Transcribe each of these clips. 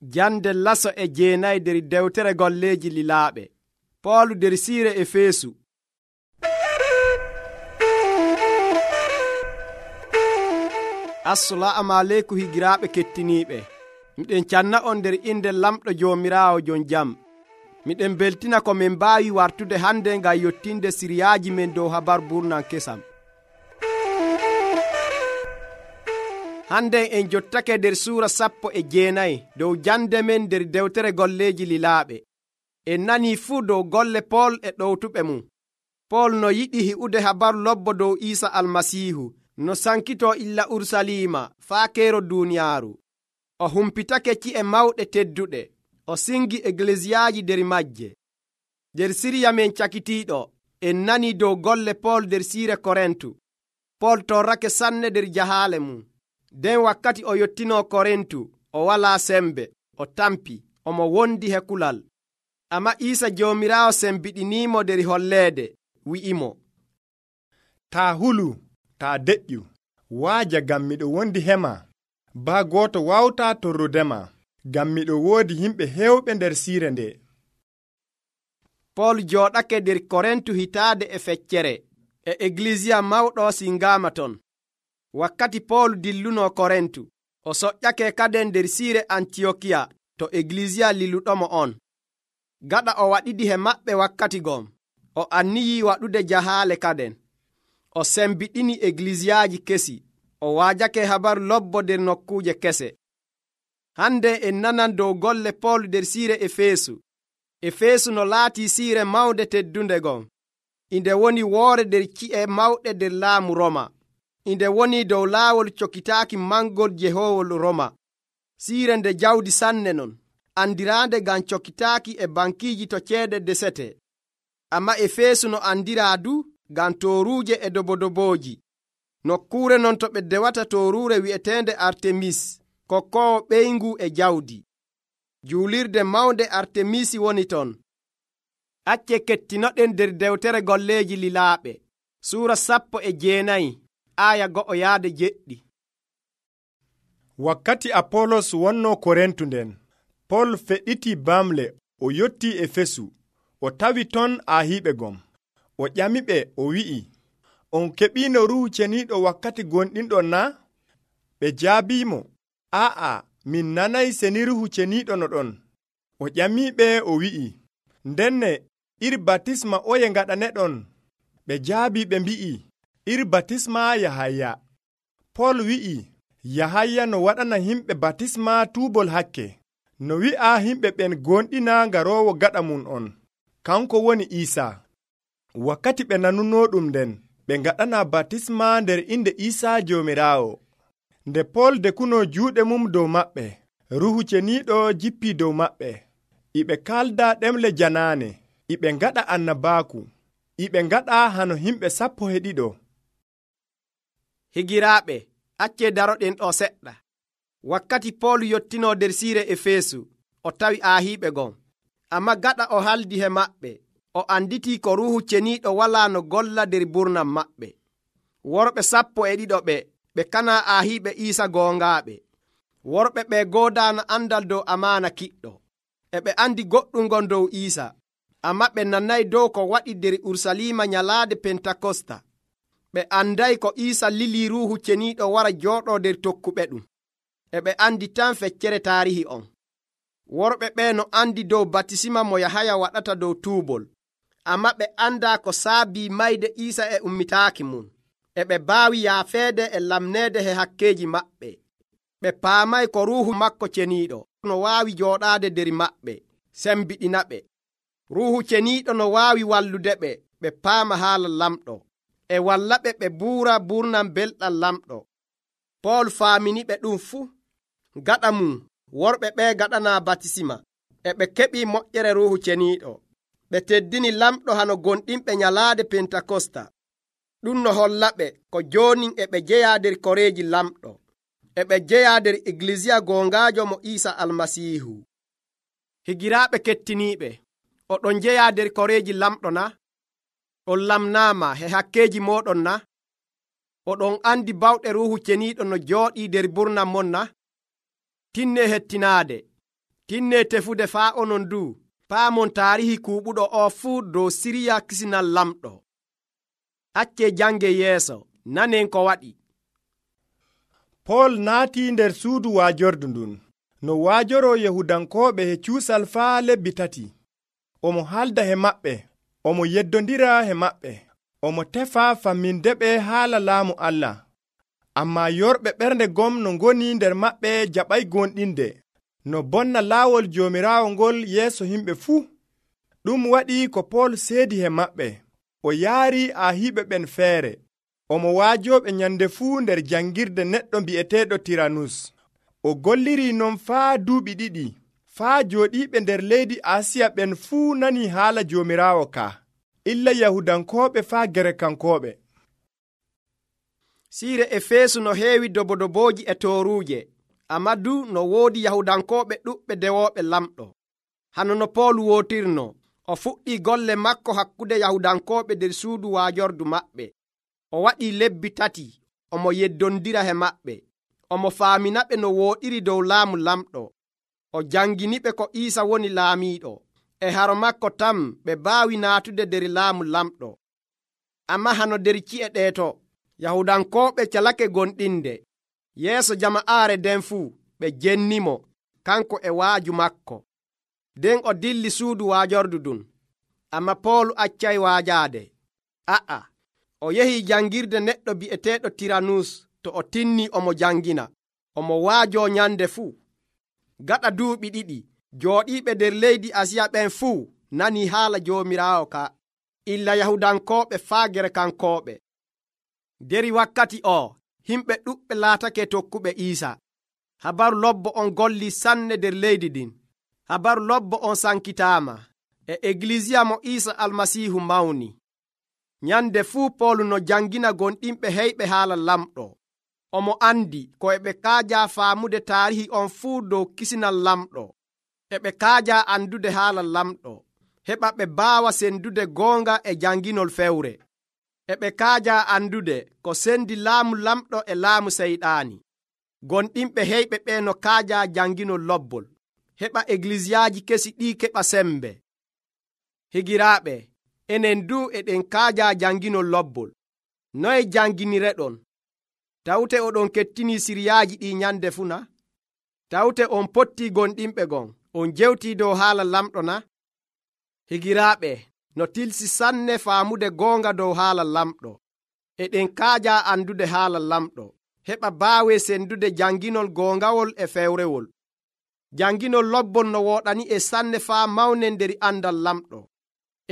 Jande laso e jeenayi nder dewtere golleeji lilaaɓe. Poolu nder siire Efeesu. Assalaamu aleykum higiraaɓe kettiniiɓe. Miɗen canna on nder inde lamɗo Joomiraawo jon jam. Miɗen beltina ko min mbaawi wartude hande ngam yottinde siriyaaji men dow habar burnan kesam. Hande en jottake nder suura 19 dow jande men nder dewtere golleeji lilaaɓe. En nanii fuu dow golle Pool e ɗowtuɓe mum. Pool no yiɗi hi'ude habaru lobbo dow Iisa Almasiihu, no sankitoo illa Urusalima faa keero duuniyaaru. O humpitake ci'e mawɗe tedduɗe, o singi eglesiyaaji nder majje. Nder siriya men cakitiiɗo, en nanii dow golle Pool nder siire Korintu. Pool torrake sanne nder jahaale mum. Den wakkati o yottinoo Korintu, o walaa sembe, o tampi, omo wondi he kulal. Amma Iisa Joomiraawo sembiɗiniimo nder holleede, wi'imo, taa hulu, taa deƴƴu, waaja ngam miɗo wondi hema, baa gooto wawtaa torrudema, ngam miɗo woodi yimɓe heewɓe nder siire nde. Pool jooɗake nder Korintu hitaade e feccere, e eglisiya mawɗo singaama ton. Wakkati Pool dillunoo Korintu, o soƴƴake kaden nder siire Antiyokiya to eglisiya liluɗomo on. Gaɗa o waɗiɗi he maɓɓe wakkati gom, o anniyii waɗude jahaale kaden. O sembiɗini eglisiyaaji kesi, o waajake habaru lobbo nder nokkuuje kese. Hande en nanan dow golle Pool nder siire Efeesu. Efeesu no laatii siire mawnde teddunde gon. Inde woni woore nder ci'e mawɗe nder laamu Roma. Inde woni dow laawol cokitaaki mangol jehoowol Roma. Siire nde jawdi sanne non, andiraande ngam cokitaaki e bankiiji to ceede desete. Amma Efeesu no andiraa du ngam tooruuje e dobodobooji. Nokkuure non to ɓe dewata tooruure wi'eteende Artemis, kokkoowo ɓeyngu e jawdi. Juulirde mawnde Artemisi woni ton. Acce kettinoɗen nder dewtere golleeji lilaaɓe, suura 19 aya 1-7. Wakkati Apolos wonnoo Korintu nden, Pool feɗɗiti bamle o yottii Efesu, o tawi ton aahiiɓe gom. O ƴamiɓe o wi'i, on keɓiino Ruuhu Ceniiɗo wakkati gonɗinɗon na? Ɓe jaabiimo, aa'a, min nanay seni Ruuhu Ceniiɗo no ɗon. O ƴamiɓe o wi'i, ndenne iri batisma oye ngaɗaneɗon? Ɓe jaabi ɓe mbi'i, iri batisma Yahaya. Pool wi'i, Yahaya no waɗana himɓe batisma tuubol hakke. No wi'a himɓe ɓen gonɗina garoowo gaɗa mum on, kanko woni Iisa. Wakkati ɓe nanunoo ɗum nden, ɓe ngaɗana batisma nder inde Iisa Joomiraawo. Nde Pool dekunoo juuɗe mum dow maɓɓe, Ruuhu Ceniiɗo jippii dow maɓɓe. Iɓe kalda ɗemle janaane, iɓe ngaɗa annabaaku, iɓe ngaɗa hano himɓe 12. Higiraaɓe, accee daroɗen ɗo seɗɗa. Wakkati Pool yottinoo nder siire Efeesu, o tawi aahiiɓe gon. Amma gaɗa o haldi he maɓɓe, o anditii ko Ruuhu Ceniiɗo walaa no golla nder burnam maɓɓe. Worɓe 12 ɓe kanaa aahiiɓe Iisa goongaaɓe. Worɓe ɓe goodaano andal dow amaana kiɗɗo. E ɓe andi goɗɗum ngon dow Iisa, amma ɓe nanayi dow ko waɗi nder Urusalima nyalaade Pentakosta. Ɓe andayi ko Iisa lilii Ruuhu Ceniiɗo wara jooɗoo nder tokkuɓe ɗum. E ɓe andi tan feccere taarihi on. Worɓe ɓe no andi dow batisima mo Yahaya waɗata dow tuubol, amma ɓe andaa ko saabii mayde Iisa e ummitaaki mum. E ɓe baawi yaafeede e lamneede he hakkeeji maɓɓe. Ɓe paamay ko Ruuhu makko Ceniiɗo no waawi jooɗaade nder maɓɓe, sembiɗina ɓe. Ruuhu Ceniiɗo no waawi wallude ɓe, ɓe paama haala lamɗo, e wallaɓe ɓe buura burnam belɗam lamɗo. Pool faamini ɓe ɗum fuu. Gaɗa mum, worɓe ɓe gaɗanaa batisima, e ɓe keɓii moƴƴere Ruuhu Ceniiɗo. Ɓe teddini lamɗo hano gonɗinɓe nyalaade Pentakosta. Ɗum no hollaɓe ko joonin e ɓe jeyaa nder koreeji lamɗo, e ɓe jeyaa nder eglisiya goongaajo mo Iisa Almasiihu. Higiraaɓe kettiniiɓe, oɗon jeyaa nder koreeji lamɗo na? On lamnaama he hakkeeji mooɗon na? Oɗon andi bawɗe Ruuhu Ceniiɗo no jooɗii nder burnam mon na? Tinne hettinaade, tinne tefude faa onon du paamon taarihi kuuɓuɗo o fuu dow siriya kisinal lamɗo. Acce jange yeeso nanen ko waɗi. Pol naati nder suudu waajordu ndun no waajoro Yahudankooɓe he cuusal faa lebbi 3. Omo halda he maɓɓe, omo yeddondira he maɓɓe, omo tefa fammindeɓe haala laamu Allah. Ammaa yorɓe ɓernde gom no ngoni nder maɓɓe jaɓay gonɗinde no bonna laawol Joomiraawo ngol yeeso himɓe fuu. Ɗum waɗi ko Pol seedi he maɓɓe, o yaari ahiiɓe ɓen feere. Omo waajooɓe nyande fuu nder jangirde neɗɗo bi'eteeɗo Tiranus. O golliri non faa duuɓi 2, faa jooɗiiɓe nder leydi Asiya ɓen fuu nani haala Joomiraawo ka, illa Yahudankooɓe faa Gerekankoɓe. Siire Efeesu no heewi dobodobooji e tooruuje, amma du no woodi Yahudankooɓe ɗuɓɓe dewooɓe lamɗo. Hano no Pool wootirno, o fuɗɗii golle makko hakkude Yahudankooɓe nder suudu waajordu maɓɓe. O waɗii lebbi 3 omo yeddondira he maɓɓe, omo faaminaɓe no wooɗiri dow laamu lamɗo. O janginiɓe ko Iisa woni laamiiɗo. E haro makko tan ɓe baawi naatude nder laamu lamɗo. Amma hano nder ci'e ɗeeto Yahudankooɓe calake gonɗinde. Yeeso jama'aare nden fuu ɓe jennimo kanko e waaju makko. Nden o dilli suudu waajordu ɗum. Amma Pool accay waajaade. O yehi jangirde neɗɗo bi'eteeɗo Tiranus. To o tinni omo jangina, omo waajo nyande fuu. Gaɗa duuɓi 2 jooɗiiɓe nder leydi Asiya ɓen fuu nani haala Joomiraawo ka, illa Yahudankooɓe faa Gerekankoɓe. Deri wakkati o himɓe ɗuɓɓe laatake tokkuɓe Iisa. Habaru lobbo on golli sanne nder leydi ɗin. Habaru lobbo on sankitaama e Eglisiya mo Iisa Almasiihu mawni. Nyande fuu Pool no jangina gonɗinɓe heyɓe haala lamɗo. Omo andi ko eɓe kaaja faamude taarihi on fuu dow kisinal lamɗo. Eɓe kaaja andude haala lamɗo, heɓa ɓe baawa sendude goonga e janginol fewre. Eɓe kaaja andude ko sendi laamu lamɗo e laamu seyɗaani. Gonɗinɓe heyɓe ɓe no kaaja janginol lobbol, heɓa eglisiyaaji kesi ɗi keɓa sembe. Higiraaɓe, enen du eɗen kaaja janginol lobbol. Noye janginireɗon? Tawte oɗon kettini siriyaaji ɗi nyande funa? Tawte on potti gonɗinɓe gon, on jewtii dow haala lamɗo na? Higiraaɓe, no tilsi sanne faamude goonga dow haala lamɗo. Eɗen kaaja andude haala lamɗo, heɓa baawe sendude janginol goongawol e fewrewol. Janginol lobbol no wooɗani e sanne faa mawnen nder andal lamɗo.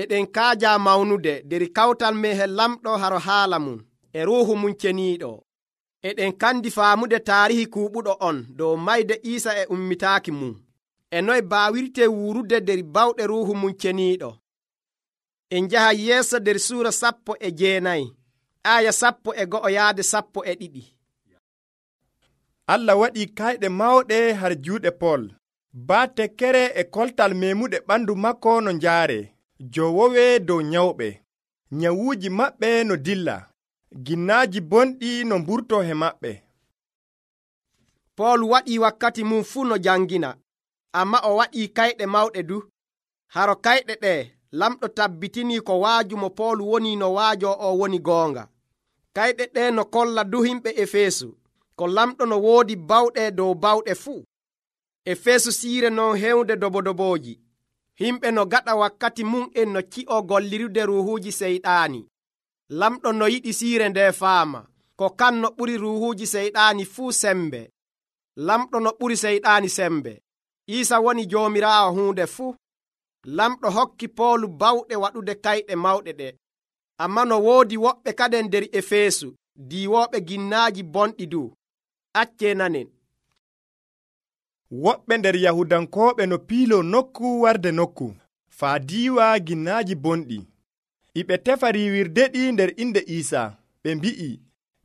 Eɗen kaaja mawnude nder kawtal men he lamɗo haro haala mum e ruuhu mum ceniiɗo. Eɗen kandi faamude taarihi kuuɓuɗo on dow mayde Iisa e ummitaaki mum, e noye baawirte wuurude nder bawɗe ruuhu mum ceniiɗo. En njaha yeeso nder suura 19 aya 11 yaade 12. Allah waɗi kayɗe mawɗe har juuɗe Pol. Baa tekkere e koltal memuɗe ɓandu makko no njaare, jowowe dow nyawɓe. Nyawuuji maɓɓe no dilla, ginnaaji bonɗi no mburto he maɓɓe. Pol waɗi wakkati mum fuu no jangina, amma o waɗi kayɗe mawɗe du. Haro kayɗe ɗe lamɗo tabbitini ko waaju mo Pol woni no waajo o woni goonga. Kayɗe ɗe no kolla du himɓe Efeesu ko lamɗo no woodi bawɗe dow bawɗe fuu. Efeesu siire non hewnde dobodobooji. Himɓe no gaɗa wakkati mum en no ci'o gollirude ruuhuuji seyɗaani. Lamɗo no yiɗi siire nde faama ko kan no ɓuri ruuhuuji seyɗaani fuu sembe. Lamɗo no ɓuri seyɗaani sembe. Iisa woni Joomiraawo huunde fuu. Lamɗo hokki Poolu bawɗe waɗude kayɗe mawɗe ɗe. Amma no woodi woɓɓe kaden nder Efeesu diiwooɓe ginnaaji bonɗi du. Acce nanen. Woɓɓe nder Yahudankooɓe no piilo nokku warde nokku, faa diiwa ginnaaji bonɗi. Iɓe tefa riiwirde ɗi nder inde Iisa. Ɓe mbi'i,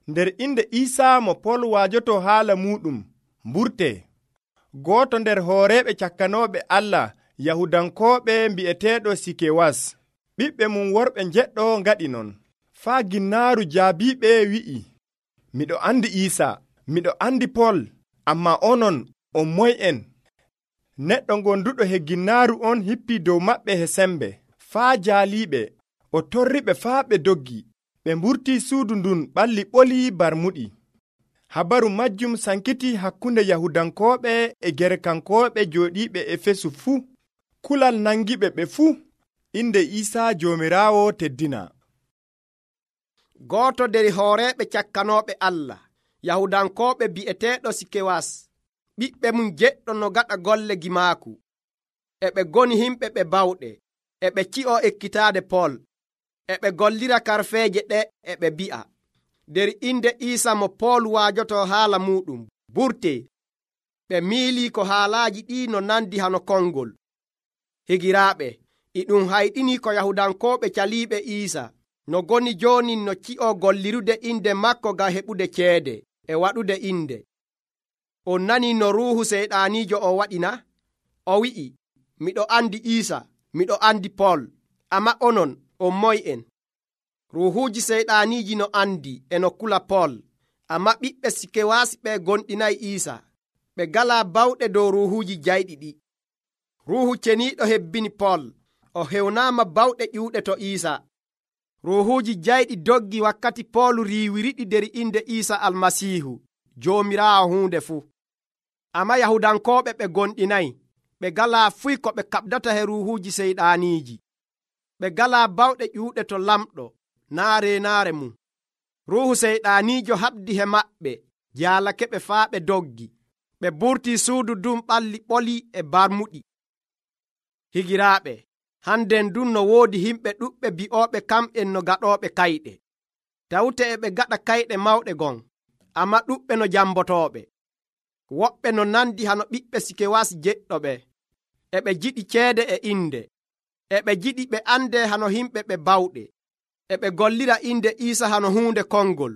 nder inde Iisa mo Pol waajoto haala muɗum, mburte. Gooto nder hooreeɓe cakkanooɓe Allah, Yahudankooɓe mbi'eteeɗo Sikewas, ɓiɓɓe mum worɓe njeɗɗo ngaɗi non. Faa ginnaaru jaabiiɓe wi'i, miɗo andi Iisa, miɗo andi Pol, ammaa onon on moy'en? neɗɗo gonduɗo hegginnaaru on hippi dow maɓɓe he sembe faa jaaliiɓe o torriɓe faa ɓe doggi ɓe mburti suudu ndun ɓalli ɓolii barmuɗi. Habaru majjum sankiti hakkunde Yahudankooɓe e Gerekankooɓe jooɗiiɓe Efesu fuu. Kulal nangiɓe ɓe fuu. Inde Iisaa Joomiraawo teddina. Gooto nder hooreeɓe cakkanooɓe Allah, Yahudankooɓe bi'eteeɗo Sikewas, ɓiɓɓe mum jeɗɗo no gaɗa golle gimaaku. E ɓe goni himɓe ɓe bawɗe, e ɓe ci'o ekkitaade Pol, e ɓe gollira karfeeje ɗe e ɓe bi'a, nder inde Iisa mo Pol waajoto haala muɗum, burtee. Ɓe miilii ko haalaaji ɗi no nandi hano kongol. Higiraaɓe, e ɗum hayɗinii ko Yahudankooɓe caliiɓe Iisa no goni jooni no ci'o gollirude inde makko ngam heɓude ceede e waɗude inde. On nanii no ruuhu seyɗaaniijo o waɗina? O wi'i, miɗo andi Iisa, miɗo andi Pol, ammaa onon on moy'en? Ruuhuuji seyɗaaniiji no andi e no kula Pol, ammaa ɓiɓɓe Sikewaasi ɓe gonɗinayi Iisa. Ɓe galaa bawɗe dow ruuhuuji jayɗi ɗi. Ruuhu ceniiɗo hebbini Pol, o hewnaama bawɗe ƴuuɗe to Iisa. Ruuhuuji jayɗi doggi wakkati Pol riiwiriɗi nder inde Iisa Almasiihu, Joomiraawo huunde fuu. Ammaa Yahudankooɓe ɓe gonɗinayi, ɓe galaa fuy ko ɓe kaɓdata he ruuhuuji seyɗaaniiji. Ɓe galaa bawɗe ƴuuɗe to lamɗo, naa reenaare mum. Ruuhu seyɗaaniijo haɓdi he maɓɓe, jaalake ɓe faa ɓe doggi. Ɓe burtii suudu ndun ɓalli ɓoli e barmuɗi. Higiraaɓe, hannden ndun no woodi himɓe ɗuɓɓe bi'ooɓe kamɓen no gaɗooɓe kayɗe. Tawte e ɓe gaɗa kayɗe mawɗe gon, ammaa ɗuɓɓe no jambotooɓe. Woɓɓe no nandi hano ɓiɓɓe Sikewas jeɗɗoɓe. E ɓe jiɗi ceede e inde. E ɓe jiɗi ɓe ande hano himɓe ɓe bawɗe. E ɓe gollira inde Iisa hano huunde kongol.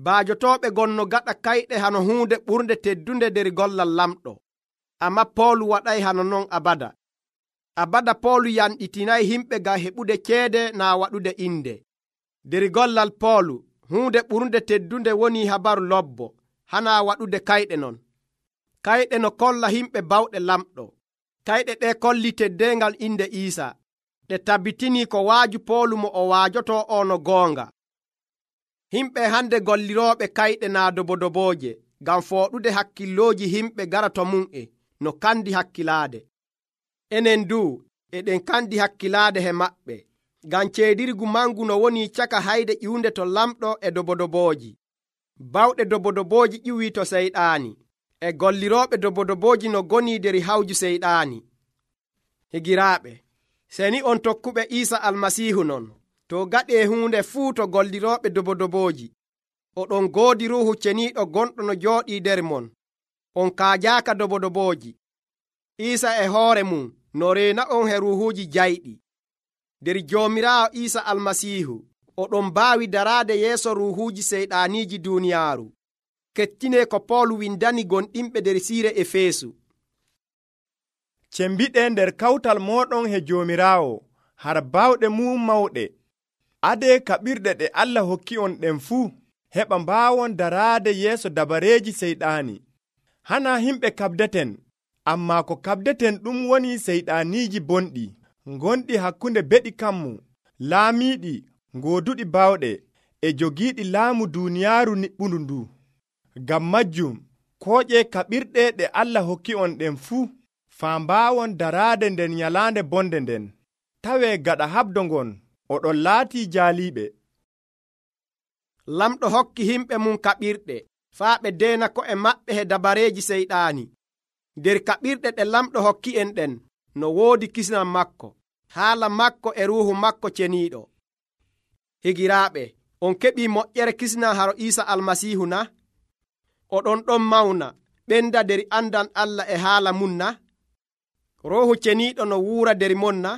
Baajotooɓe gon no gaɗa kayɗe hano huunde ɓurnde teddunde nder gollal lamɗo. Ammaa Poolu waɗay hano non abada. Abada Poolu yanɗitinayi himɓe ngam heɓude ceede naa waɗude inde. Nder gollal Poolu, huunde ɓurnde teddunde woni habaru lobbo, hana waɗude kayɗe non. Kayɗe no kolla himɓe bawɗe lamɗo. Kayɗe ɗe kolli teddengal inde Iisa. Ɗe tabbitinii ko waaju Poolu mo o waajoto o no goonga. Himɓe hande gollirooɓe kayɗe naa dobodobooje, ngam fooɗude hakkillooji himɓe gara to mum'e no kandi hakkilaade. Enen duu eɗen kandi hakkilaade he maɓɓe, ngam ceedirgu mangu no woni caka hayde ƴiwunde to lamɗo e dobodobooji. Bawɗe dobodobooji ƴiwii to seyɗaani, e gollirooɓe dobodobooji no goni nder hawju seyɗaani. Higiraaɓe, seni on tokkuɓe Iisa Almasiihu non, to gaɗee huunde fuu to gollirooɓe dobodobooji. Oɗon goodi Ruuhu Ceniiɗo gonɗo no jooɗii nder mon. On kaajaaka dobodobooji. Iisa e hoore mum no reena on he ruuhuuji jayɗi. Nder Joomiraawo Iisa Almasiihu, oɗon mbaawi daraade yeeso ruuhuuji seyɗaaniiji duuniyaaru. Kettinee ko Poolu windani gonɗinɓe nder siire Efeesu. Cembiɗe nder kawtal mooɗon he Joomiraawo, har baawɗe mum mawɗe. Adee kaɓirɗe ɗe Allah hokki on ɗen fuu, heɓa mbaawon daraade yeeso dabareeji seyɗaani. Hana himɓe kaɓdeten, ammaa ko kaɓdeten ɗum woni seyɗaaniiji bonɗi, gonɗi hakkunde beɗi kammu, laamiiɗi, gooduɗi baawɗe, e jogiiɗi laamu duuniyaaru niɓɓundu ndu. Ngam majjum, kooƴe kaɓirɗe ɗe Allah hokki on ɗen fuu, faa mbaawon daraade nder nyalaande bonde nden. Tawee gaɗa habdo ngon, oɗon laatii jaaliiɓe. Lamɗo hokki himɓe mum kaɓirɗe, faa ɓe deena ko'e maɓɓe he dabareeji seyɗaani. Nder kaɓirɗe ɗe lamɗo hokki en ɗen, no woodi kisnam makko, haala makko e ruuhu makko ceniiɗo. Higiraaɓe, on keɓii moƴƴere kisnam haro Iisa Almasiihu na? Oɗon ɗon mawna, ɓenda nder andal Allah e haala mum na? Ruuhu Ceniiɗo no wuura nder mon na?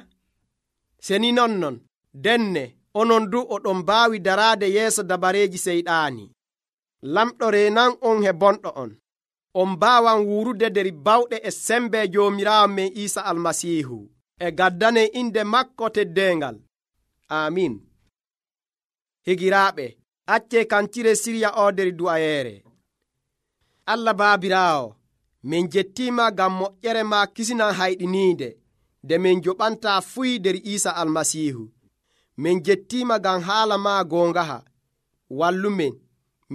Seni nonnon, denne, onon du oɗon mbaawi daraade yeeso dabareeji seyɗaani. Lamɗo reenan on he bonɗo on. On mbaawan wuurude nder bawɗe e sembe Joomiraawo men Iisa Almasiihu, e gaddane inde makko teddengal. Amin. Higiraaɓe, accee kancire sirya o nder du'ayeere. Allah Baabiraawo, min jettima ngam moƴƴere ma kisinan hayɗiniinde nde min joɓanta fuy nder Iisa Almasiihu. min jettima ngam haala ma goongaha. wallumin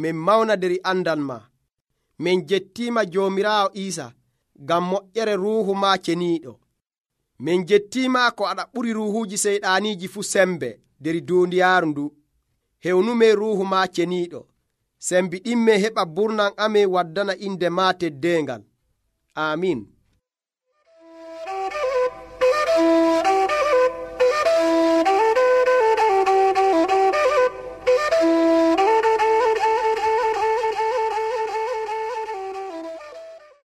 min mawna nder andal ma. min jettima Joomiraawo Iisa ngam moƴƴere ruuhu ma ceniiɗo. min jettima ko aɗa ɓuri ruuhuuji seyɗaaniiji fu sembe nder duuniyaaru ndu. hewnumen ruuhu ma ceniiɗo. sembiɗinme heɓa burnam amin waddana inde ma teddeengal. Amin.